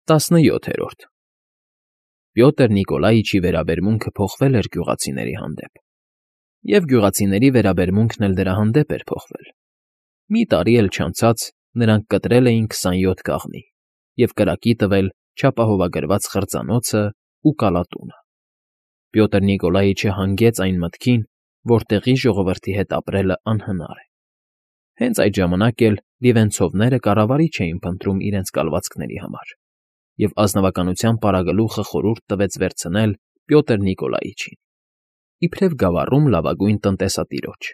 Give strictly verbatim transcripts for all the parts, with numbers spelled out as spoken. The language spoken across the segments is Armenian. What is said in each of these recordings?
Տասնյոթերորդ Պյոտր Նիկոլաիչի վերաբերմունքը փոխվել էր գյուղացիների հանդեպ, և գյուղացիների վերաբերմունքն էլ դրա հանդեպ էր փոխվել. մի տարի էլ չանցած նրանք կտրել էին քսանյոթ կաղնի և կրակի տվել չապահովագրված խրձանոցն ու կալատունը։ Պյոտր Նիկոլաիչը հանգեց այն մտքին, որ տեղի ժողովրդի հետ ապրելն անհնար է։ Հենց այդ ժամանակ էլ լիվենցովները կառավարիչ էին փնտրում իրենց կալվածքների համար, և ազնվականության պարագլուխը խորհուրդ տվեց վերցնել Պյոտր Նիկոլաիչին, իբրև գավառում լավագույն տնտեսատիրոջ։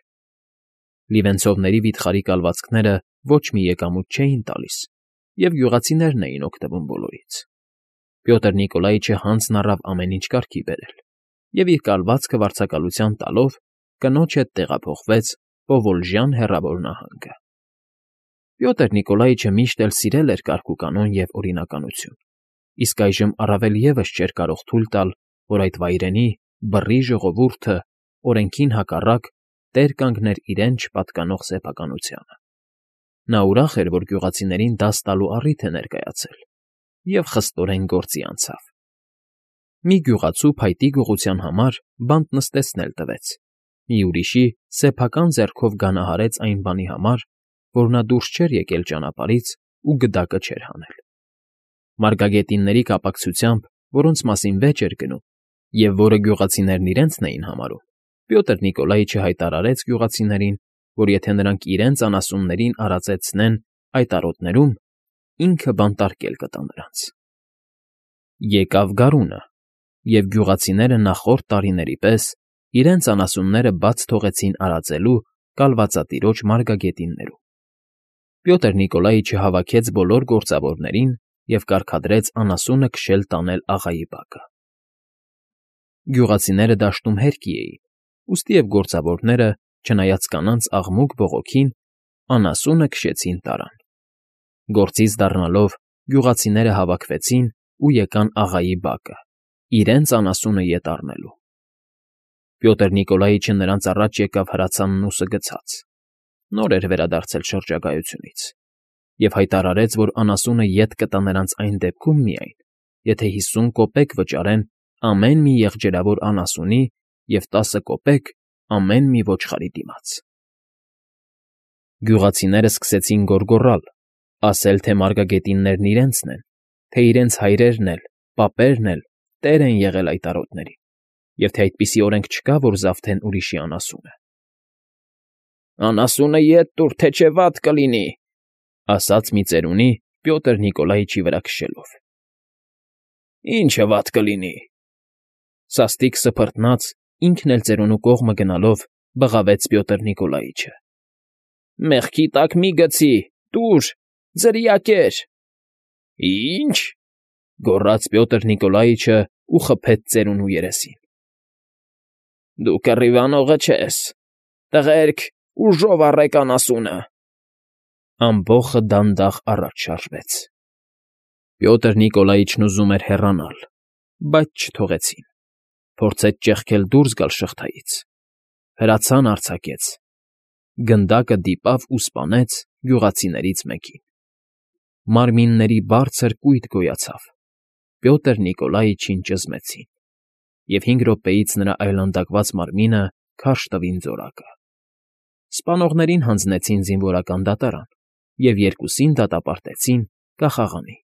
Լիվենցովների վիթխարի կալվածքները ոչ մի եկամուտ չէին տալիս, և գյուղացիներն էին օգտվում բոլորից։ Պյոտր Նիկոլաիչը հանձն առավ ամեն ինչ կարգի բերել և իր կալվածքը վարձակալության տալով կնոջ հետ տեղափոխվեց Պովոլժյան հեռավոր նահանգը։ Պյոտր Նիկոլաիչը միշտ էլ սիրել էր կարգուկանոն և օրինականություն, իսկ այժմ առավել ևս չէր կարող թույլ տալ, որ այդ վայրենի, բռի ժողովուրդը օրենքին հակառակ տեր կանգներ իրեն չպատկանող սեփականությանը։ Նա ուրախ էր, որ գյուղացիներին դաս տալու առիթ է ներկայացել, և խստորեն գործի անցավ։ Մի գյուղացու փայտի գողության համար բանտ նստեցնել տվեց, մի ուրիշի սեփական ձեռքով գանահարեց այն բանի համար, որ նա դուրս չէր եկել ճանապարհից ու գդակը չէր հանել։ Մարգագետինների կապակցությամբ, որոնց մասին վեճ էր գնում, և որը գյուղացիներն իրենցն էին համարում, Պյոտր Նիկոլաիչը հայտարարեց գյուղացիներին, որ եթե նրանք իրենց անասուններին արածեցնեն այդ արոտներում, ինքը բանտարկել կտա նրանց։ Եկավ գարունը, և գյուղացիները նախորդ տարիների պես իրենց անասունները բաց թողեցին արածելու կալվածատիրոջ մարգագետիններում։ Պյոտր Նիկոլաիչը հավաքեց բոլոր գործավորներին և կարգադրեց անասունը քշել տանել աղայի բակը։ Գյուղացիները դաշտում հերկի էին, ուստի և գործավորները, չնայած կանանց աղմուկ բողոքին, անասունը քշեցին տարան։ Գործից դառնալով գյուղացիները հավաքվեցին ու եկան աղայի բակը, իրենց անասունը ետ առնելու։ Պյոտր Նիկոլաիչը նրանց առաջ եկավ հրացանն ու սգցած (նոր էր վերադարձել շրջագայությունից) և հայտարարեց, որ անասունը ետ կտա նրանց այն դեպքում միայն, եթե հիսուն կոպեկ վճարեն ամեն մի եղջերավոր անասունի և տասը կոպեկ ամեն մի ոչխարի դիմաց։ Գյուղացիներն սկսեցին գոռգոռալ, ասել, թե մարգագետիններն իրենցն են, թե իրենց հայրերն էլ, պապերն էլ տեր են եղել այդ արոտների, և թե այդպիսի օրենք չկա, որ զավթեն ուրիշի անասունը։ «Անասունը ետ տուր, թե չէ վատ կլինի», ասաց մի ծերունի Պյոտր Նիկոլաիչի վրա քշելով։ «Ի՞նչը վատ կլինի», սաստիկ սփռտնաց, ինքն էլ ծերունու կողմը գնալով բղավեց Պյոտր Նիկոլաիչը։ «Մեղքի տակ մի գցի, տուր, ձրիակեր»։ «Ի՞նչ», գոռաց Պյոտր Նիկոլաիչը ու խփեց ծերունու երեսին։ «Դու կռիվանողը չես, տղերք, ուժով առեք անասունը»։ Ամբոխը դանդաղ առաջ շարժվեց։ Պյոտր Նիկոլաիչն ուզում էր հեռանալ, բայց չթողեցին, փորձեց ճեղքել դուրս գալ շղթայից, հրացան արձակեց, գնդակը դիպավ ու սպանեց գյուղացիներից մեկին։ Մարմինների բարձր կույտ գոյացավ, Պյոտր Նիկոլաիչին ճզմեցին, և հինգ րոպեից նրա այլանդակված մարմինը քարշ տվին ձորակը։ Սպանողներին հանձնեցին զինվորական դատարան և երկուսին դատապարտեցին կախաղանի։